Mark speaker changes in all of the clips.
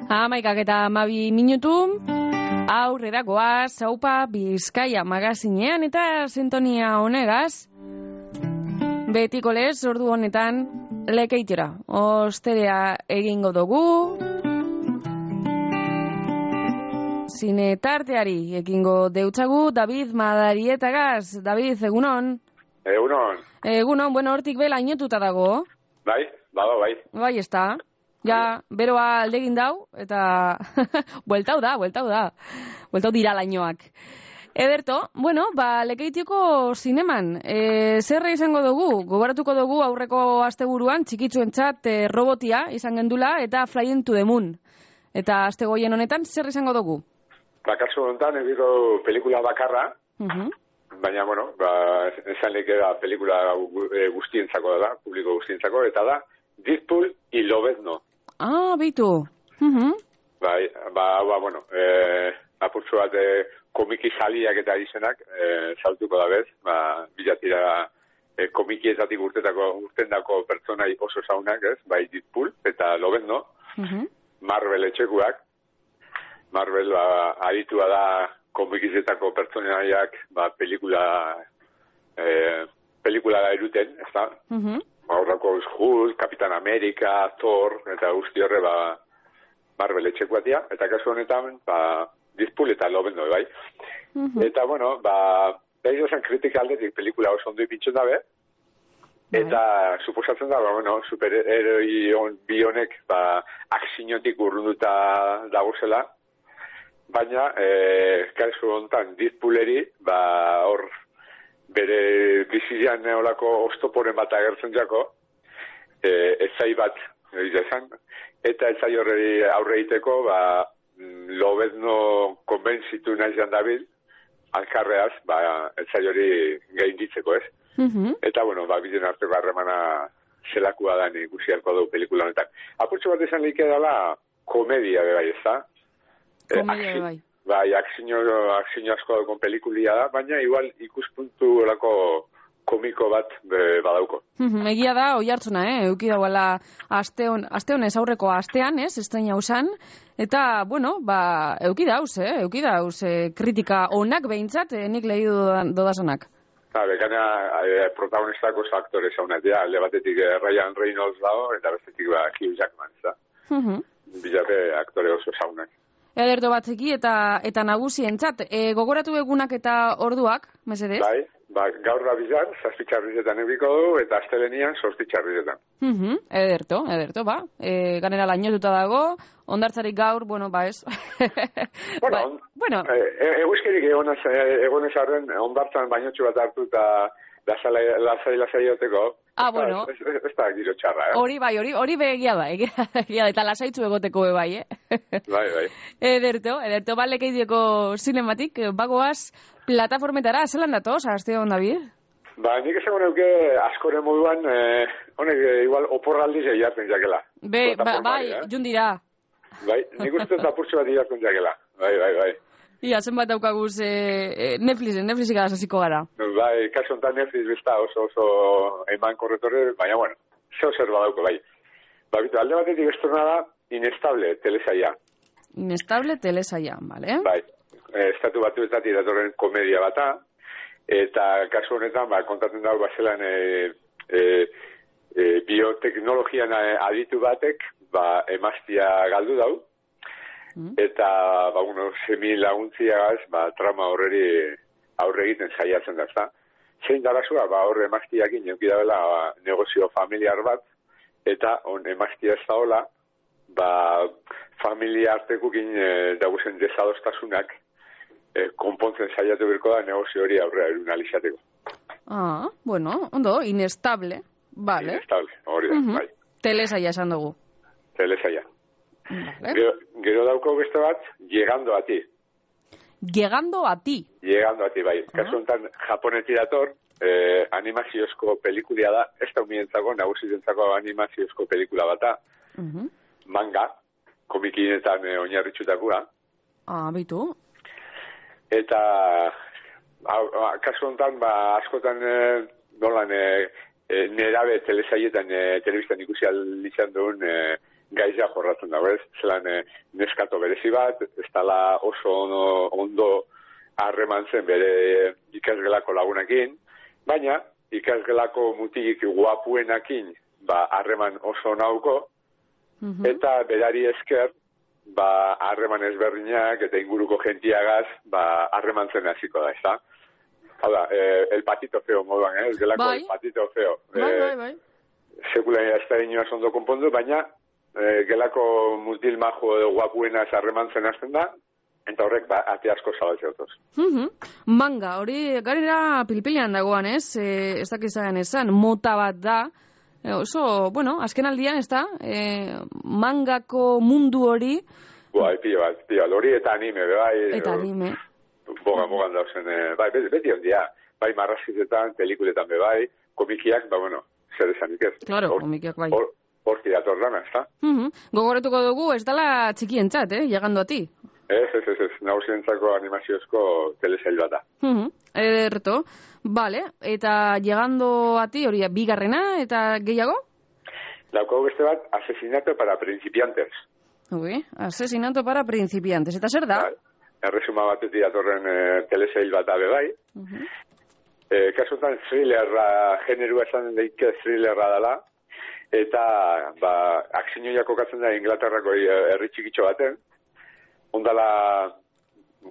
Speaker 1: Amaikak eta 12 minutu, aurrera goaz, Aupa Bizkaia magazinean eta sintonia honegaz, betiko lez, ordu honetan, lekeitera, osterea egingo dugu, zine tarteari egingo deutzagu, David Madarietagaz. David, egunon?
Speaker 2: Egunon.
Speaker 1: Egunon, bueno, hortik bela inotuta dago.
Speaker 2: Bai, bado, bai.
Speaker 1: Bai, ez da. Ja, beroa aldegin dau, eta bueltau dira lainoak. Ederto, bueno, Lekeitioko zineman, zerra izango dugu, gogoratuko dugu aurreko asteburuan, txikitzuentzat robotia izan gendula, eta Fly into the Moon. Eta aste goien honetan, zer izango dugu?
Speaker 2: Kasu honetan, egiko pelikula bakarra, baina, bueno, esan leke da pelikula guztientzako da, publiko guztientzako, eta da, Deadpool y Lobezno.
Speaker 1: Ah, beitu.
Speaker 2: Bai, bueno, apurtzu bat komiki saliak eta izenak, saltuko da bez, bilatira komikietatik urtendako pertsonai oso zaunak, ez, bai Deadpool eta Lobezno, Marvel etxekuak, Marvel aritua da komikizetako pertsonaiak pelikula eruten, ez da? Aurrako Hulk, Kapitan Amerika, Thor, eta guzti horre Marvel etxekuatia, eta kasu honetan, Deadpool eta Lobezno, bai. Eta, bueno, dairo zen kritika aldetik pelikula oso ondo ipintzen dabe, eta suposatzen da, bueno, superheroi bi honek, akzinotik urrunduta dagozela, baina, kasu honetan, Deadpooleri, hor, bere bizilean neolako oztoporen bat agertzen jako, ezai bat, eta ezai horreri aurre egiteko, Lobezno konbentzitu nahi zan dabil, alkarreaz, ezai hori gainditzeko, ez? Eta, bueno, biden arteko harremana zelakua da ikusi halko dugu pelikula honetan. Apurtxo bat esan lehike dela komedia, bai, ez da?
Speaker 1: Komedia, bai.
Speaker 2: Bai, akzino asko daukon pelikulia da, baina igual ikuspuntu olako komiko bat badauko.
Speaker 1: Egia da, oi hartzuna, euki dauala aste honez aurreko astean, estaina usan, eta, bueno, euki dauz, kritika onak behintzat, nik lehi dodazonak.
Speaker 2: Bekana, protagonistako aktore zaunak, alde batetik Ryan Reynolds dago, eta bestetik Hugh Jackman, ez da? Bilape aktore oso zaunak.
Speaker 1: Ederto batzeki eta nagusientzat. Gogoratu egunak eta orduak, mesedez?
Speaker 2: Bai, gaur da bizar, 7 txarrizetan ebiko du, eta astelenian 8 txarrizetan.
Speaker 1: Ederto, ganera lainotuta dago, ondartzarik gaur, bueno, ez.
Speaker 2: Bueno, eguzkerik egonez arren, ondartzan bainotxu bat hartu eta lasai oteko.
Speaker 1: Bueno.
Speaker 2: Ez da giro txarra,
Speaker 1: Hori begia da, eta lasaitzu egoteko bai,
Speaker 2: Bai.
Speaker 1: Ederto, Lekeitioko zinematik, bagoaz, plataformetara, zelan datoz, aste hon, David?
Speaker 2: Nik esango neuke askore moduan, honek igual oporraldiz jartzen jakela.
Speaker 1: Bai, jundira.
Speaker 2: Bai, nik uste apurtxo bat jartzen jakela. Bai.
Speaker 1: Ia, zenbat daukaguz Netflixik azaziko gara.
Speaker 2: Bai, kaso enten Netflix bizta oso eman korretore, baina, bueno, zer badauko, bai. Bitu, alde batetik estorna da, Inestable telesaia.
Speaker 1: Inestable telesaia, bale?
Speaker 2: Bai, estatu batuetatik datorren komedia bata, eta kasu honetan, kontatzen dago bazelan bioteknologian aditu batek, emaztia galdu dau, eta, semi laguntziagaz, trama horreri aurre egiten saiatzen da, ezta? Zein darazua, horre emaztiakin eukidabela negozio familiar bat, eta emaztia ez da hola, familia artekukin daguzen desadostasunak konpontzen saiatu birko da negozio hori aurrera erunalizateko.
Speaker 1: Bueno, ondo, Inestable, vale.
Speaker 2: Inestable, hori da, bai.
Speaker 1: Telesaia esan dugu.
Speaker 2: Telesaia. Gero dauko beste bat, Llegando a ti.
Speaker 1: Llegando a ti,
Speaker 2: bai. Kasu honetan japoneti dator, animaziozko pelikulia da, ez da humientzako, nagusizentzako animaziozko pelikula bata, manga, komikinetan oinarritxutakoa.
Speaker 1: Bitu.
Speaker 2: Eta, kasu honetan, askotan nolan nerabe telesaietan telebistan ikusi izan duen gaizia jorratzen dago, ez? Zelan neskato berezi bat, ez dala oso ondo harreman zen bere ikasgelako lagunekin, baina ikasgelako mutilik guapuenakin harreman oso nauko, eta berari esker harreman ezberdinak eta inguruko gentiagaz harreman zen hasiko da, ez da? Hau da, el patito feo moduan, ez gelako el patito feo.
Speaker 1: Bai.
Speaker 2: Sekula ez da inoaz ondo konpondu, baina gelako mutil majo edo guapuenaz harreman zen hasten da, eta horrek ate asko zabaltzea otoz.
Speaker 1: Manga, hori garera pilpilean dagoan, ez? Ez dakizaren esan, mota bat da. Oso, bueno, azken aldian, ez da? Mangako mundu hori...
Speaker 2: Pio bat, hori eta anime, bai.
Speaker 1: Eta anime.
Speaker 2: Bogan dauzen, bai, beti ondia. Bai, marrazkizetan, pelikuletan bai, komikiak, bueno, zer esanik ez.
Speaker 1: Claro, komikiak bai.
Speaker 2: Horti dator dana, ez da?
Speaker 1: Gogoretuko dugu, ez dala txikientzat, llegando a ti.
Speaker 2: Ez, nagusientzako animaziozko telesail bat da.
Speaker 1: Ederto, vale, eta llegando a ti, hori bigarrena, eta gehiago?
Speaker 2: Daukagu beste bat, asesinato para principiantes.
Speaker 1: Ui, asesinato para principiantes, eta zer da?
Speaker 2: Erresuma batetik datorren telesail bat abe bai. Kasutan thrillerra, generua esan daike thrillerra dela, eta aksinioia kokatzen da Inglaterrako herri txikitxo baten, ondala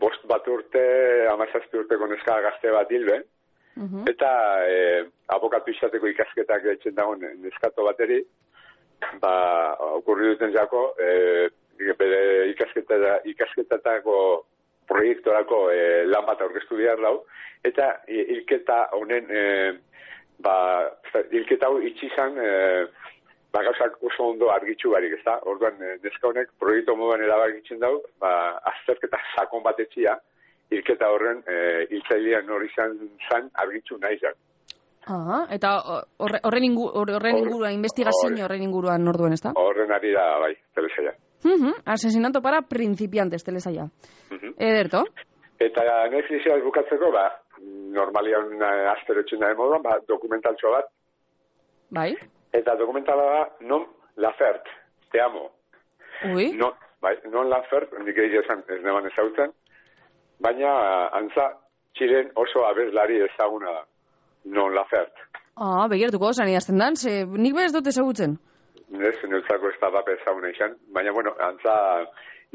Speaker 2: 5 urte, 17 urteko neska gazte bat hilben, eta abokatu izateko ikasketak etxen dagoen neskato bateri, okurri duten jako, bere ikasketatako proiektorako lan bat aurkeztu behar lau, eta hilketa honen, hilketa hau itxizan, gauzak oso ondo argitxu barik, ez da? Orduan, neska honek proiektu moduan erabakitzen dau, azterketa sakon bat etxia, hilketa horren hiltzailean hori zan argitxu nahi zan.
Speaker 1: Eta horren inguruan, investigazio horren inguruan orduan, ez da?
Speaker 2: Horren ari da, bai, telesaia.
Speaker 1: Asesinato para principiantes, telesaia. Ederto?
Speaker 2: Eta Netflixia bukatzeko, normalian asterotxen da moduan, dokumentaltxo bat.
Speaker 1: Bai?
Speaker 2: Eta dokumentala da, non Laferte, te amo.
Speaker 1: Ui?
Speaker 2: Non Laferte, nik egin esan ez neban ezautzen, baina antza Txilen oso abeslari ezaguna da, non Laferte.
Speaker 1: Begiratuko osan idazten dan, nik bez dut ezagutzen.
Speaker 2: Ez, neutzako ez da bape ezaguna izan, baina, antza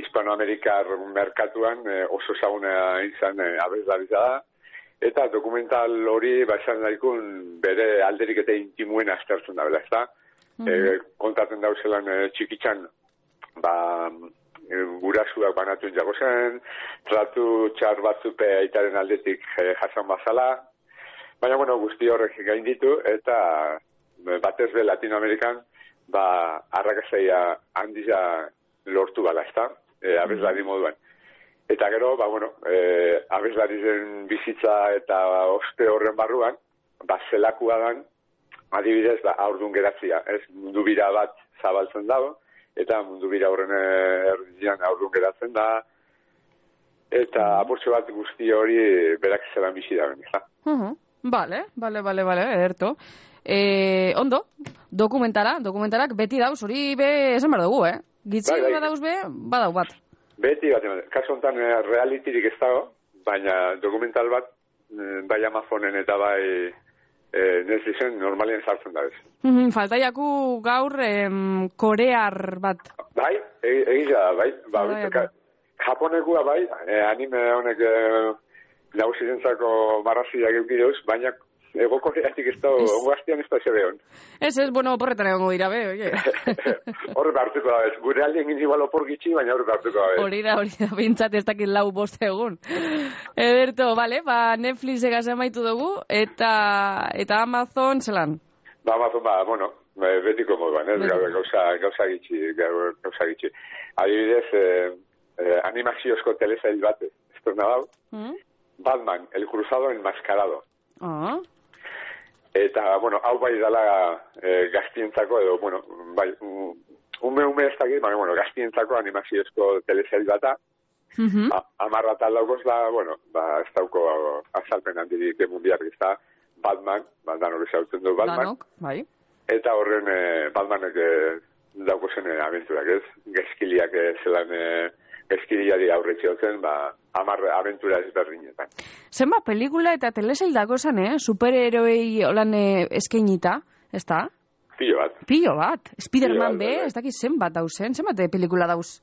Speaker 2: Hispanoamerikar merkatuan oso ezaguna izan abeslari da, eta dokumental hori esan daikun bere alderik eta intimuen aztertzen da, ez da? Kontatzen dauzelan txikitzan, gurasuak banatuen jago zen, tratu txar batzupe aitaren aldetik jasan bazala, baina, guzti horrek gainditu, eta batez be Latinoamerikan, arrakazaia handiza lortu bala, ez da? Abeslari moduan. Eta gero, abeslari zen bizitza eta oste horren barruan, zelakua dan, adibidez, aurdun geratzia. Ez mundu bira bat zabaltzen dago, eta mundu bira horren erdian aurdun geratzen da, eta apurtxo bat guzti hori berak zelan bizi da ben.
Speaker 1: Vale, ederto. Ondo, dokumentalak beti dauz, hori esan behar dugu, Gitzi badauz badau bat.
Speaker 2: Beti bat, kasu honetan realitirik ez dago, baina dokumental bat, bai Amazonen eta bai Netflixen normalien sartzen da bez.
Speaker 1: Faltaiaku gaur korear bat.
Speaker 2: Bai, egia da, bai. Japonekua bai, anime honek nagusizentzako marraziak eukiduz, baina ego koreatik ez da, ongo hastian ez da zebe hon.
Speaker 1: Ez, porretan egongo dira, oie.
Speaker 2: Horre hartuko da bez, gure aldien igual opor gitxi, baina horre hartuko da bez.
Speaker 1: Hori da, bintzat ez dakit 4-5 egun. Ederto, bale, Netflix egaz amaitu dugu, eta Amazon zelan?
Speaker 2: Amazon, betiko moduan, gauza gitxi. Adibidez, animaziozko telesail bat, estorna dau, Batman, el cruzado enmascarado. Eta, hau bai dala gaztientzako edo, bai, ume ez dakit, baina, gaztientzako animaziozko telesail bata, 10 atal daukoz da, ez dauko azalpen handirik mundiak ez da, Batman, danok ezautzen du Batman.
Speaker 1: Danok, bai.
Speaker 2: Eta horren Batmanek dauko zen abenturak, ez? Gezkiliak zelan gezkiliari aurretxiotzen, 10 abentura ezberdinetan.
Speaker 1: Zenba pelikula eta telesail dago zen, superheroei holan eskainita, ez da?
Speaker 2: Pilo bat.
Speaker 1: Spiderman be, ez dakit zenbat dauzen, zenbat pelikula dauz?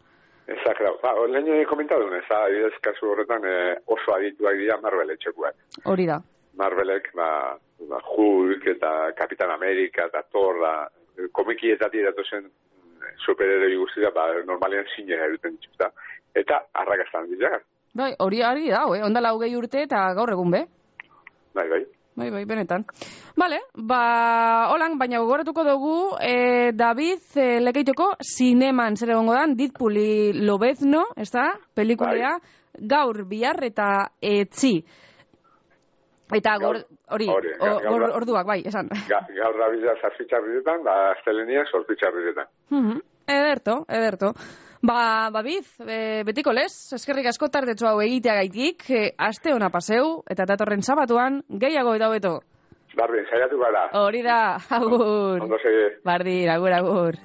Speaker 2: Exacto. Lehen komentadun, ez da, kasu horretan oso adituak dira Marvel etxekuak.
Speaker 1: Hori da.
Speaker 2: Marvelek, Hulk eta Kapitan Amerika eta Thor, komikietatik datozen superheroi guztia, normalean zinera eruten dituzta. Eta arrakastan dira.
Speaker 1: Bai, hori da, ondala 20 urte eta gaur egun be.
Speaker 2: Bai.
Speaker 1: Bai, benetan. Bale, holan, baina gogoratuko dugu, David Lekeitioko zineman zer egongo dan, Deadpooli Lobezno, ez da, pelikulea, gaur, bihar eta etzi. Eta orduak, bai, esan.
Speaker 2: Gaur da bidea zazpitxarriretan, astelenia sortitxarriretan.
Speaker 1: Ederto. Biz, betiko lez, eskerrik asko tardetxo hau egiteagaitik, aste ona paseu, eta datorren sabatuan, gehiago eta hobeto.
Speaker 2: Bardin, saiatu gara.
Speaker 1: Hori da, agur.
Speaker 2: Ondo segi.
Speaker 1: Bardin, agur.